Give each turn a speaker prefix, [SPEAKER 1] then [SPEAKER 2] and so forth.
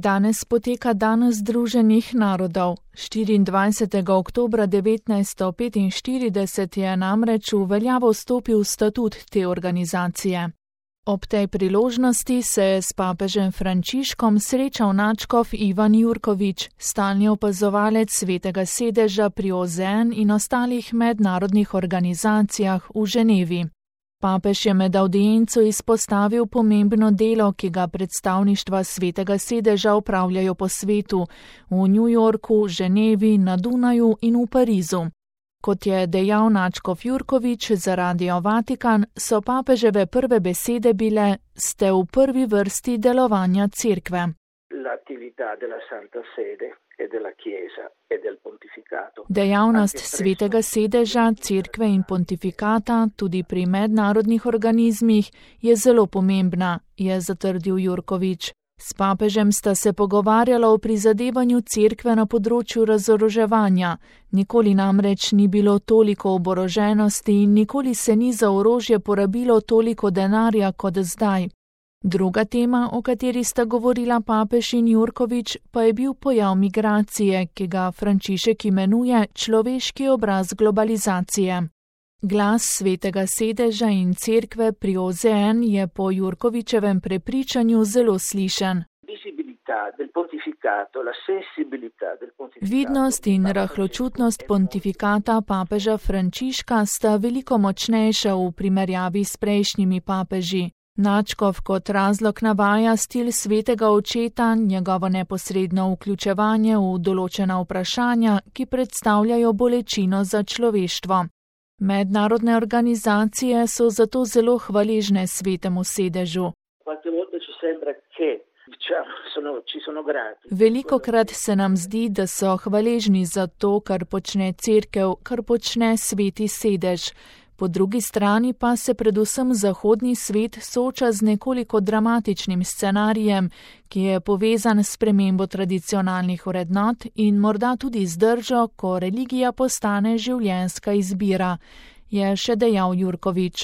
[SPEAKER 1] Danes poteka Dan Združenih narodov. 24. oktobra 1945 je namreč v veljavo stopil statut te organizacije. Ob tej priložnosti se je s papežem Frančiškom srečal nadškof Ivan Jurkovič, stalni opazovalec Svetega sedeža pri OZN in ostalih mednarodnih organizacijah v Ženevi. Papež je med audienco izpostavil pomembno delo, ki ga predstavništva Svetega sedeža opravljajo po svetu, v New Yorku, Ženevi, na Dunaju in v Parizu. Kot je dejal nadškof Jurkovič za Radio Vatikan, so papeževe prve besede bile: ste v prvi vrsti delovanja cerkve. Dejavnost Svetega sedeža, cerkve in pontifikata tudi pri mednarodnih organizmih je zelo pomembna, je zatrdil Jurkovič. S papežem sta se pogovarjala o prizadevanju cerkve na področju razoroževanja. Nikoli namreč ni bilo toliko oboroženosti in nikoli se ni za orožje porabilo toliko denarja kot zdaj. Druga tema, o kateri sta govorila papež in Jurkovič, pa je bil pojav migracije, ki ga Frančišek imenuje človeški obraz globalizacije. Glas Svetega sedeža in cerkve pri OZN je po Jurkovičevem prepričanju zelo slišan. Vidnost in rahločutnost pontifikata papeža Frančiška sta veliko močnejša v primerjavi s prejšnjimi papeži. Nadškof kot razlog navaja stil svetega očeta, njegovo neposredno vključevanje v določena vprašanja, ki predstavljajo bolečino za človeštvo. Mednarodne organizacije so zato zelo hvaležne Svetemu sedežu. Velikokrat se nam zdi, da so hvaležni za to, kar počne cerkev, kar počne Sveti sedež. Po drugi strani pa se predvsem zahodni svet sooča z nekoliko dramatičnim scenarijem, ki je povezan s spremembo tradicionalnih vrednot in morda z držo, ko religija postane življenjska izbira, je še dejal Jurkovič.